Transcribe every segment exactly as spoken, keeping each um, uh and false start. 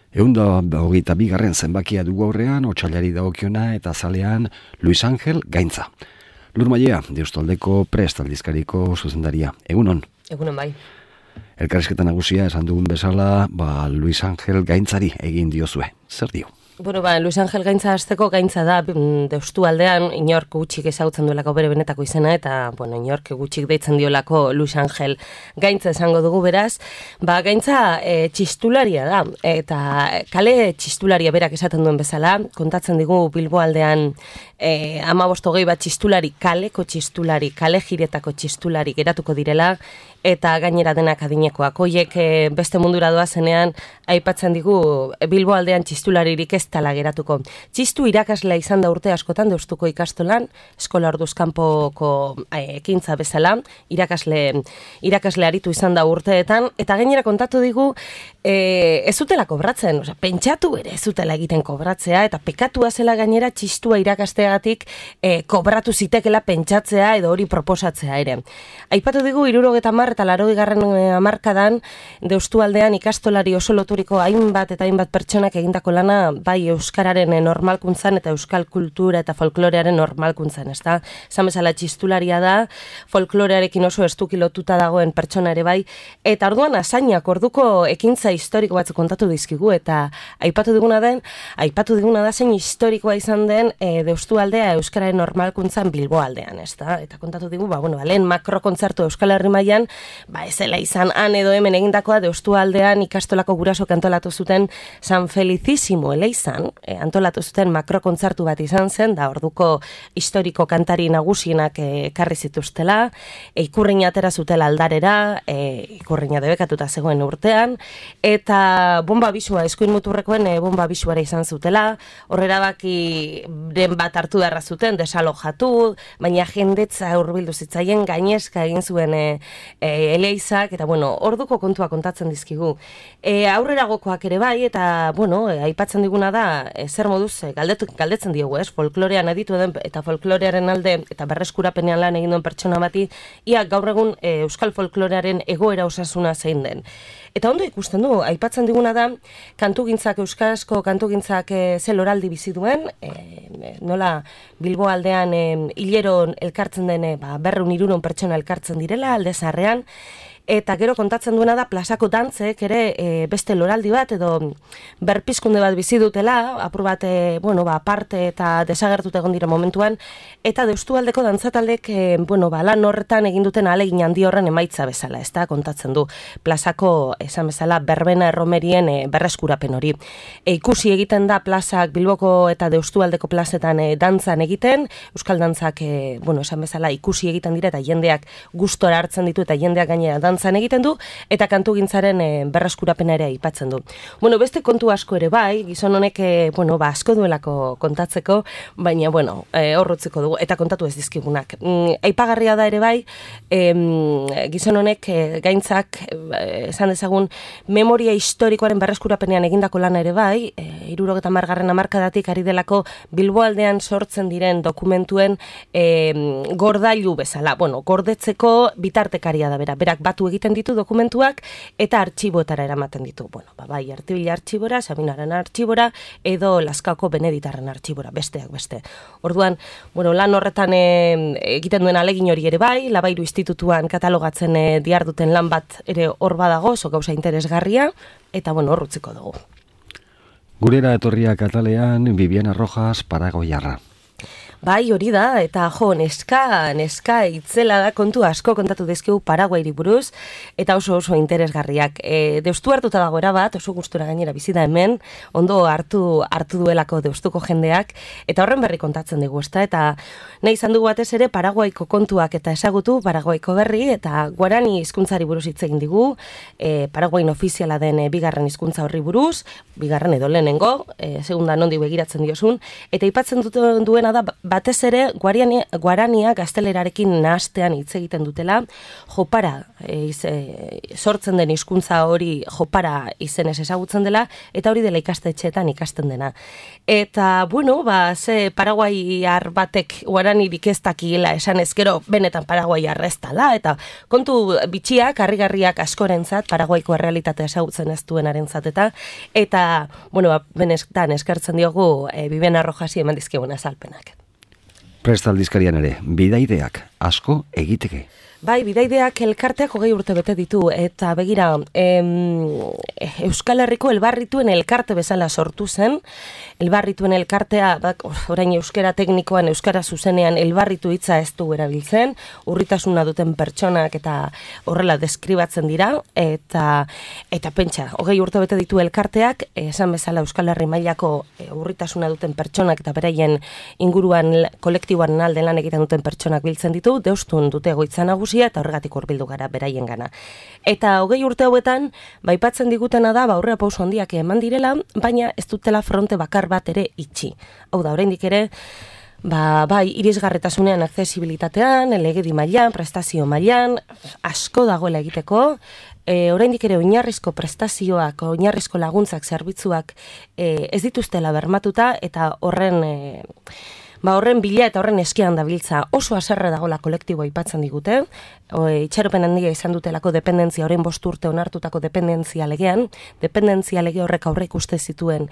Ehun da hogeita bigarren zenbakia dugu aurrean, otsailari dagokiona eta zalean Luis Angel Gaintza. Lur Mailea, Deustaldeko Prest aldizkariko zuzendaria. Egunon? Egunon bai. Elkarrizketa nagusia esan dugun bezala, ba, Luis Angel Gaintzari egin diozue. Zer dio? Bueno, ba, Luis Angel Gaintza hasteko Gaintza da Deustu aldean inork gutxik ezagutzen duelako bere benetako izena eta, bueno, inork gutxik deitzen diolako Luis Angel Gaintza esango dugu beraz. Ba, Gaintza e, txistularia da eta kale txistularia berak esaten duen bezala, kontatzen digu Bilbo aldean e, hamabost hogei bat txistulari, kaleko txistulari, kale jiretako txistulari geratuko direla eta gainera denak adinekoak. Hoiek e, beste mundura doazenean aipatzen digu Bilbo aldean txistularirik ez tala geratuko. Txistu irakaslea izan da urte askotan Deustuko ikastolan, eskola orduz kanpoko ekintza bezala, irakasle, irakasle aritu izan da urteetan, eta gainera kontatu digu e, ez zutela kobratzen, osea, pentsatu ere ez zutela egiten kobratzea, eta pekatua zela gainera txistua irakasteagatik e, kobratu zitekela pentsatzea edo hori proposatzea ere. Aipatu digu hirurogeta hamar eta laurogeigarren hamarkadan Deustu aldean ikastolari oso loturiko hainbat eta hainbat pertsonak egindako lana bai euskararen normalkuntzan eta euskal kultura eta folklorearen normalkuntzan, ezta? Esan bezala txistularia da, folklorearekin oso estuki lotuta dagoen pertsona ere bai, eta orduan asainak orduko ekintza historiko batzuk kontatu dizkigu eta aipatu diguna den, aipatu diguna da zein historikoa izan den e, Deustu aldea euskararen normalkuntzan Bilbo aldean, ezta? Eta kontatu digu, ba bueno, lehen makrokontzertu Euskal Herri mailan, ba ezela izan han edo hemen egindakoa Deustu aldean ikastolako gurasok antolatu zuten San Felicísimo eleizan, e, antolatu zuten makrokontzertu bat izan zen, da orduko historiko kantari nagusienak ekarri e, zituztela, e, ikurriña atera zutela aldarera, e, ikurriña debekatuta zegoen urtean, eta bomba bisua, eskuin muturrekoen e, bomba bisuara izan zutela, horrera baki den bat hartu darra zuten, desalojatu, baina jendetza hurbildu zitzaien gainezka egin zuen e, e, eleizak, eta bueno, orduko kontua kontatzen dizkigu. E, aurreragokoak ere bai, eta bueno, e, aipatzen diguna da, e, zer moduz, e, galdetu, galdetzen diogu, ez? Folklorean aditu den, eta folklorearen alde, eta berreskurapenean lan egin duen pertsona bati, ia gaur egun e, euskal folklorearen egoera osasuna zein den. Eta ondo ikusten du, aipatzen diguna da, kantugintzak, euskarazko kantugintzak e, ze loraldi bizi duen, e, nola Bilbo aldean e, hilero elkartzen den, e, ba, berrehun hirurehun pertsona elkartzen direla, alde zaharrean, eta gero kontatzen duena da plazako dantzek ere e, beste loraldi bat edo berpizkunde bat bizi dutela, apur bat e, bueno, ba, aparte eta desagertute egon dira momentuan, eta Deustu aldeko dantzataldek e, bueno, ba, lan horretan egin duten ahalegin handi horren emaitza bezala, ez da, kontatzen du plazako, esan bezala, berbena erromerien e, berreskurapen hori. E, ikusi egiten da plazak Bilboko eta Deustu aldeko plazetan e, dantzan egiten, euskal dantzak, e, bueno, esan bezala, ikusi egiten dira eta jendeak gustora hartzen ditu eta jendeak gainera dantzan zan egiten du, eta kantugintzaren e, berreskurapena ere aipatzen du. Bueno, beste kontu asko ere bai, gizon honek, e, bueno, ba, asko duelako kontatzeko, baina, bueno, e, horrotzeko dugu, eta kontatu ez dizkigunak. Mm, aipagarria da ere bai, e, gizon honek, e, Gaintzak, e, esan dezagun, memoria historikoaren berreskurapenean egindako lana ere bai, e, hirurogeta hamargarren hamarkadatik ari delako Bilbo aldean sortzen diren dokumentuen e, gordailu bezala, bueno, gordetzeko bitartekaria da bera, berak batu egiten ditu dokumentuak eta artxiboetara eramaten ditu. Bueno, ba, bai, Artibila artxibora, Sabinaren artxibora edo Lazkaoko Beneditarren artxibora, besteak beste. Orduan, bueno, lan horretan e, egiten duen alegin hori ere bai, Labairu Institutuan katalogatzen e, diarduten lan bat ere hor badago, oso gauza interesgarria, eta bueno, horrutziko dugu. Gurera etorria katalean, Viviana Rojas, Paragoiarra. Bai, hori da, eta jo, neska, neska itzela da kontu asko kontatu dizkigu Paraguairi buruz, eta oso oso interesgarriak. E, Deustu hartuta dagoera bat, oso gustura gainera bizi da hemen, ondo hartu hartu duelako Deustuko jendeak, eta horren berri kontatzen dugu, ezta? Eta nahi izan dugu batez ere Paraguaiko kontuak eta ezagutu Paraguaiko berri, eta guarani hizkuntzari buruz hitz egin digu, e, Paraguain ofiziala den e, bigarren hizkuntza horri buruz, bigarren edo lehenengo, e, segunda nondi begiratzen diozun, eta aipatzen duena da batez ere guarania, guarania gaztelerarekin nahastean hitz egiten dutela, jopara e, iz, e, sortzen den hizkuntza hori jopara izenez ezagutzen dela, eta hori dela ikastetxeetan ikasten dena. Eta, bueno, ba, ze paraguaiar batek guaranirik ez dakiela esan ezkero benetan paraguaiar ez dela, eta kontu bitxiak, harrigarriak askorentzat, paraguaiko errealitatea ezagutzen ez duenarentzat eta, eta, bueno, ba, benetan eskertzen diogu e, Bibena Rojasi eman dizkigun azalpenak. Prest aldizkarian ere, bidaideak asko egiteke. Bai, bidaideak elkarteak hogei urte bete ditu, eta begira, em, Euskal Herriko elbarrituen elkarte bezala sortu zen, elbarrituen elkartea, bak, orain euskara teknikoan, euskara zuzenean elbarritu hitza ez du erabiltzen, urritasuna duten pertsonak eta horrela deskribatzen dira, eta eta pentsa, hogei urte bete ditu elkarteak, esan bezala Euskal Herri mailako e, urritasuna duten pertsonak eta beraien inguruan kolektiboan alde lan egiten duten pertsonak biltzen ditu, deustun dute egoitza nagusia eta horregatik hurbildu gara beraien gana. Eta hogei urte hauetan, baipatzen digutena da, ba, aurrera pauso handiak eman direla, baina ez dutela fronte bakar bat ere itxi. Hau da, oraindik ere, ba, bai, irisgarretasunean, aksesibilitatean, legedi mailan, prestazio mailan, asko dagoela egiteko, e, oraindik ere oinarrizko prestazioak, oinarrizko laguntzak, zerbitzuak e, ez dituztela bermatuta, eta horren... E, Ba, horren bila eta horren eskian dabiltza oso haserre dagola kolektiboa aipatzen digute, o, itxaropen handia izan dutelako dependentzia, orain bost urte onartutako dependentzia legean, dependentzia lege horrek aurre ikuste zituen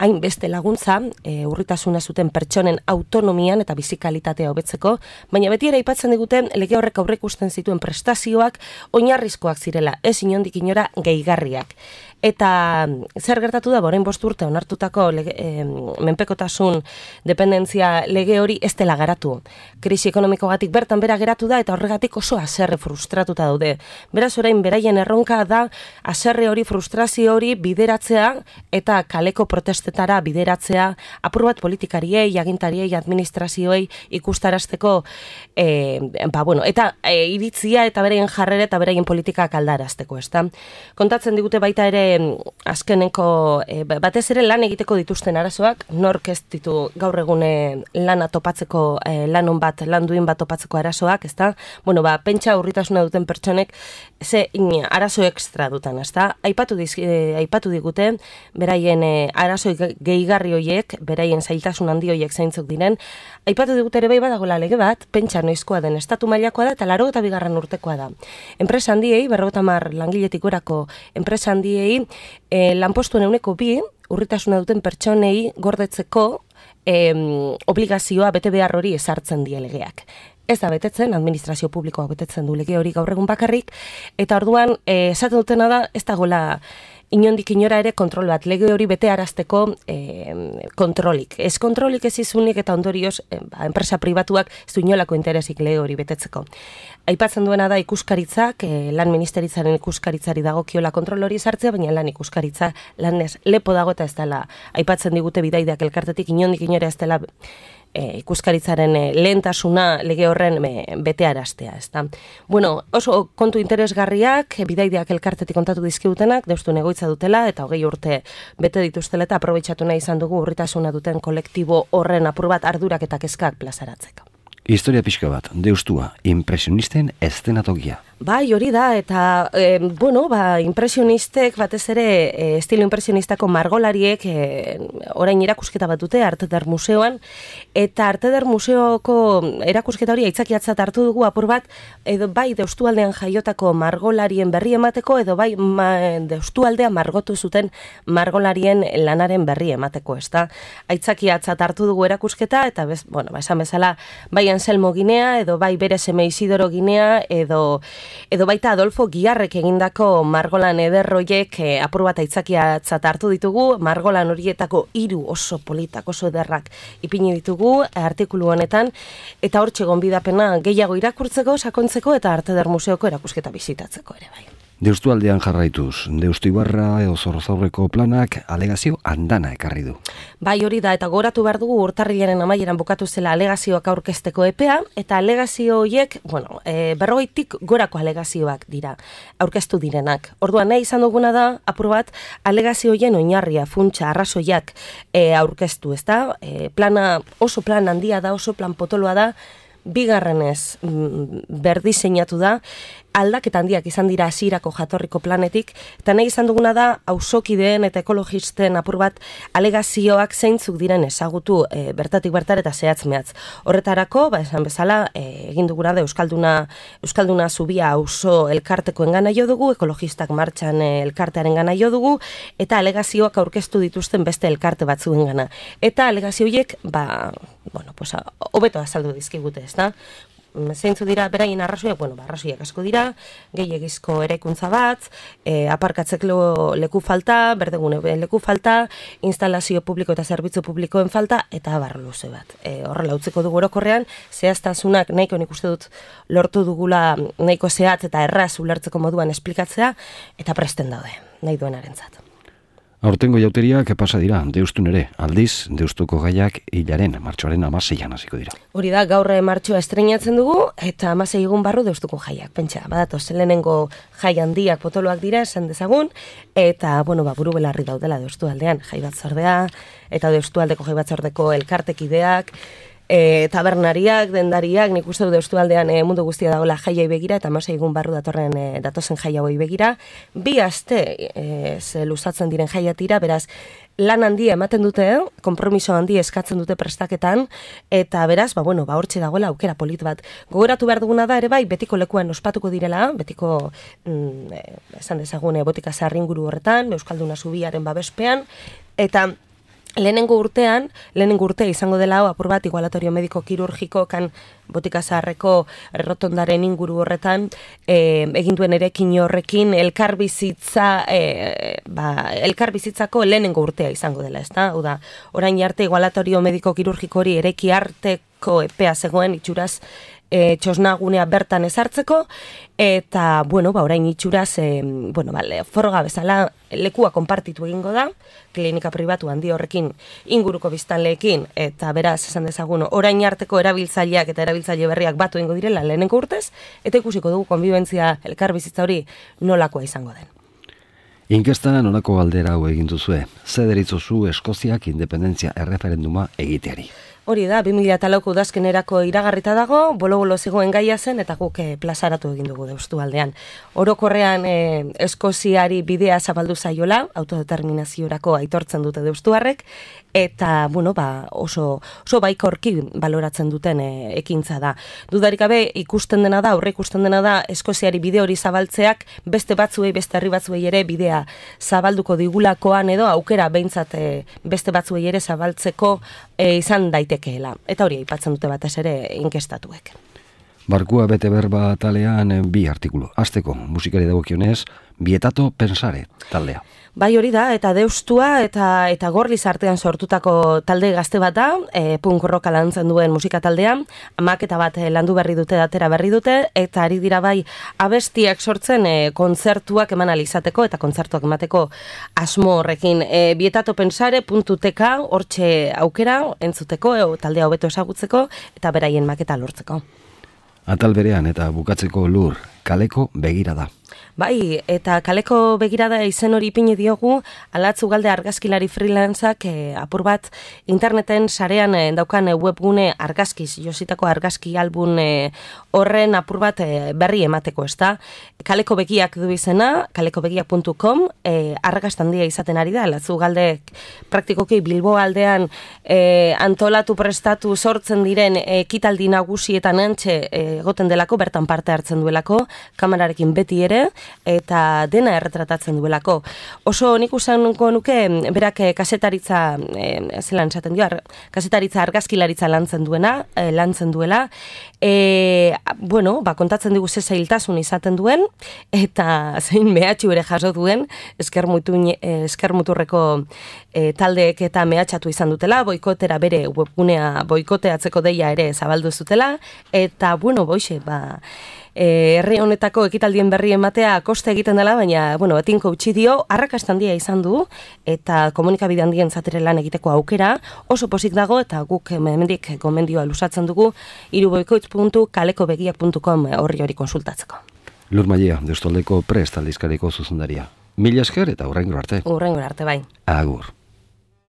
hainbeste laguntza, e, urritasuna zuten pertsonen autonomian eta bizikalitatea hobetzeko, baina beti ere aipatzen digute lege horrek aurre ikusten zituen prestazioak oinarrizkoak zirela, ez inondik inora gehigarriak. Eta zer gertatu da, orain bost urte onartutako lege, e, menpekotasun dependentzia lege hori ez dela garatu. Krisi ekonomikogatik bertan bera geratu da eta horregatik oso haserre frustratuta daude. Beraz orain beraien erronka da haserre hori, frustrazio hori bideratzea eta kaleko protestetara bideratzea apur bat politikariei, agintariei, administrazioei ikustarazteko e, ba, bueno, eta e, iritzia eta beraien jarrera eta beraien politikak aldarazteko, ezta? Kontatzen digute baita ere azkeneko e, batez ere lan egiteko dituzten arazoak, nork ez ditu gaur egune lana topatzeko, e, lanon bat, lan duin bat topatzeko arazoak, ezta? Bueno, ba, pentsa urritasuna duten pertsonek ze in, arazo ekstra dutan, ezta? Aipatu, diz, e, aipatu digute, beraien e, arazo gehigarri hoiek, beraien zailtasun handi hoiek zeintzuk diren, aipatu digute ere bai badagoela lege bat, pentsa noizkoa den, estatu mailakoa da eta laurogeita bigarren urtekoa da. Enpresa handiei, berrogeita hamar langiletik gorako enpresa handiei, E, lanpostuen euneko bi, urritasuna duten pertsonei gordetzeko e, obligazioa bete behar hori ezartzen die legeak. Ez da betetzen, administrazio publikoa betetzen du lege hori gaur egun bakarrik, eta orduan e, esaten dutena da, ez dagoela inondik inora ere kontrol bat, lege hori bete arazteko e, kontrolik. Ez kontrolik ez izunik eta ondorioz e, ba, enpresa pribatuak ez du inolako interesik lege hori betetzeko. Aipatzen duena da ikuskaritzak, e, lan ministeritzaren ikuskaritzari dagokiola kontrol hori sartzea, baina lan ikuskaritza lanez lepo dago eta ez dela, aipatzen digute bidaideak elkartetik inondik inora ez dela E, ikuskaritzaren e, lehentasuna lege horren e, betearaztea, ezta. Bueno, oso kontu interesgarriak, e, bidaideak elkartetik kontatu dizkigutenak, deustun egoitza dutela, eta hogei urte bete dituztela, eta aprobetxatu nahi izan dugu urritasuna duten kolektibo horren apur bat ardurak eta kezkak plazaratzeko. Historia pixka bat, deustua, impresionisten eszenatokia. Bai, hori da, eta, e, bueno, ba, impresionistek, batez ere, e, estilo impresionistako margolariek, e, orain erakusketa bat dute, Arte Eder Museoan, eta Arte Eder Museoko erakusketa hori aitzakiatzat hartu dugu apur bat, edo bai deustualdean jaiotako margolarien berri emateko, edo bai ma, deustualdea margotu zuten margolarien lanaren berri emateko, ez da? Aitzakiatzat hartu dugu erakusketa, eta, bez, bueno, ba, esan bezala, bai Anselmo Ginea, edo bai bere seme Isidoro Ginea, edo edo baita Adolfo Giarrek egindako margolan ederroiek e, apur bat aitzakiatzat hartu ditugu, margolan horietako hiru oso politak, oso ederrak ipini ditugu artikulu honetan, eta hortxe gonbidapena gehiago irakurtzeko, sakontzeko eta Arte Eder Museoko erakusketa bizitatzeko ere bai. Deustu aldean jarraituz, Deustu Ibarra edo Zorrozaurreko planak alegazio andana ekarri du. Bai, hori da, eta goratu behar dugu urtarrilaren amaieran bukatu zela alegazioak aurkezteko epea, eta alegazio horiek, bueno, e, berrogeitik gorako alegazioak dira, aurkeztu direnak. Orduan nahi izan duguna da, apur bat, alegazio horien oinarria, funtsa, arrazoiak e, aurkeztu, ezta? E, plana oso plan handia da, oso plan potoloa da, bigarrenez berdiseinatu da, aldaketa handiak izan dira hasierako jatorriko planetik, eta nahi izan duguna da, auzokideen eta ekologisten apur bat alegazioak zeintzuk diren ezagutu e, bertatik bertar eta zehatz mehatz. Horretarako, ba, esan bezala, e, egin duguna da Euskalduna, Euskalduna Zubia auzo elkartekoen gana jo dugu, ekologistak martxan e, elkartearen gana jo dugu, eta alegazioak aurkeztu dituzten beste elkarte batzuen gana. Eta alegazio horiek, ba, bueno, pues, hobeto azaldu dizkigute, ez da? Zeintzu dira beraien arrazoiak, bueno, ba, arrazoiak asko dira, gehiegizko eraikuntza bat, e, aparkatzeko leku falta, berdegune leku falta, instalazio publiko eta zerbitzu publikoen falta, eta abar luze bat. E, horrela utziko dugu orokorrean, zehaztasunak nahiko nik uste dut lortu dugula nahiko zehatz eta erraz ulertzeko moduan esplikatzea, eta presten daude, nahi duenarentzat. Aurtengo jauteriak pasa dira, Deustun ere, aldiz, Deustuko gaiak hilaren, martxoaren amaseian hasiko dira. Hori da, gaur martxoa estreinatzen dugu, eta amasei egun barru Deustuko jaiak. Pentsa, badatoz, lehenengo jai handiak potoloak dira, esan dezagun, eta, bueno, ba, buru belarri daudela Deustu aldean, jai batzordea, eta Deustu aldeko jai batzordeko elkartekideak, E, tabernariak, dendariak, nik uste du Deustu aldean e, mundu guztia dagoela jaiai begira, eta amasei egun barru datorren e, datozen jai hauei begira. Bi aste e, ze luzatzen diren jaiatira, beraz, lan handia ematen dute, konpromiso handia eskatzen dute prestaketan, eta beraz, ba, bueno, ba, hortxe dagoela aukera polit bat. Gogoratu behar duguna da, ere bai, betiko lekuan ospatuko direla, betiko, mm, e, esan dezagune, botika zaharringuru horretan, Euskalduna Zubiaren babespean, eta lehenengo urtean, lehenengo urtea izango dela hau, apur bat, igualatorio mediko kirurgiko kan botika zaharreko errotondaren inguru horretan, e, egin duen erekin horrekin elkarbizitza, e, ba, elkarbizitzako lehenengo urtea izango dela, ezta? Hau da, orain arte igualatorio mediko kirurgiko hori ereki arteko epea zegoen itxuraz, E, txosnagunea bertan ezartzeko, eta, bueno, ba, orain itxuraz, e, bueno, ba, foroga bezala lekua konpartitu egingo da, klinika pribatu handi horrekin inguruko biztanleekin, eta beraz, esan dezagun, orain arteko erabiltzaileak eta erabiltzaile berriak batu egingo direla lehenengo urtez, eta ikusiko dugu konbibentzia elkarbizitza hori nolakoa izango den. Inkestan honako galdera hau egin duzue, ze deritzozu Eskoziak independentzia erreferenduma egiteari. Hori da, bi mila lauko udazkenerako iragarrita dago, bolo-bolo zegoen gaia zen, eta guk eh, plazaratu egin dugu Deustu aldean. Orokorrean eh, Eskoziari bidea zabaldu zaiola, autodeterminaziorako aitortzen dute deustuarrek, eta, bueno, ba, oso, oso baikorki baloratzen duten eh, ekintza da. Dudarik gabe ikusten dena da, aurre ikusten dena da, Eskoziari bide hori zabaltzeak, beste batzuei, beste herri batzuei ere bidea zabalduko digulakoan edo, aukera behintzat eh, beste batzuei ere zabaltzeko eh, izan daite. Eta hori aipatzen dute batez ere inkestatuek. Barkua bete berba talean bi artikulu. Hasteko musikari dagokionez, Bietato Pensare taldea. Bai hori da, eta Deustua eta eta Gorliz artean sortutako talde gazte bat da, e, punk rocka lantzen duen musika taldea, amaketa bat e, landu berri dute, datera berri dute, eta ari dira bai abestiak sortzen e, kontzertuak eman alizateko eta kontzertuak emateko asmo horrekin. E, bietato pensare puntu tk hortxe aukera entzuteko, e, taldea hobeto ezagutzeko eta beraien maketa lortzeko. Atal berean eta bukatzeko lur, kaleko begirada. Bai, eta kaleko begirada izen hori ipini diogu, Alatz Ugalde argazkilari freelanceak e, apur bat interneten sarean e, daukan e, webgune argazkiz, jositako argazki album e, horren apur bat e, berri emateko, ez da? Kaleko begiak du izena, kaleko begiak puntu com, e, argaztandia izaten ari da, Alatz Ugalde praktikoki Bilbo aldean e, antolatu prestatu sortzen diren ekitaldi nagusietan antxe egoten delako, bertan parte hartzen duelako, kamerarekin beti ere, eta dena erretratatzen duelako. Oso nik usanko nuke, berak kasetaritza, e, zelan esaten dio, kasetaritza argazkilaritza lantzen duena, e, lantzen duela, e, bueno, ba, kontatzen digu ze zailtasun izaten duen, eta zein mehatxu ere jaso duen, eskermuturreko e, taldeek eta mehatxatu izan dutela, boikotera bere webgunea boikoteatzeko deia ere zabaldu zutela, eta, bueno, boixe, ba, e, herri honetako ekitaldien berri ematea koste egiten dela, baina, bueno, tinko utzi dio, arrakasta handia izan du, eta komunikabide handien zatere lan egiteko aukera, oso pozik dago, eta guk hemendik gomendioa lusatzen dugu, iruboikoitz puntu kalekobegiak puntu com horri hori konsultatzeko. Lur Mailea, Deustaldeko Prest aldizkariko zuzendaria. Mila esker eta hurrengo arte. Hurrengo arte, bai. Agur.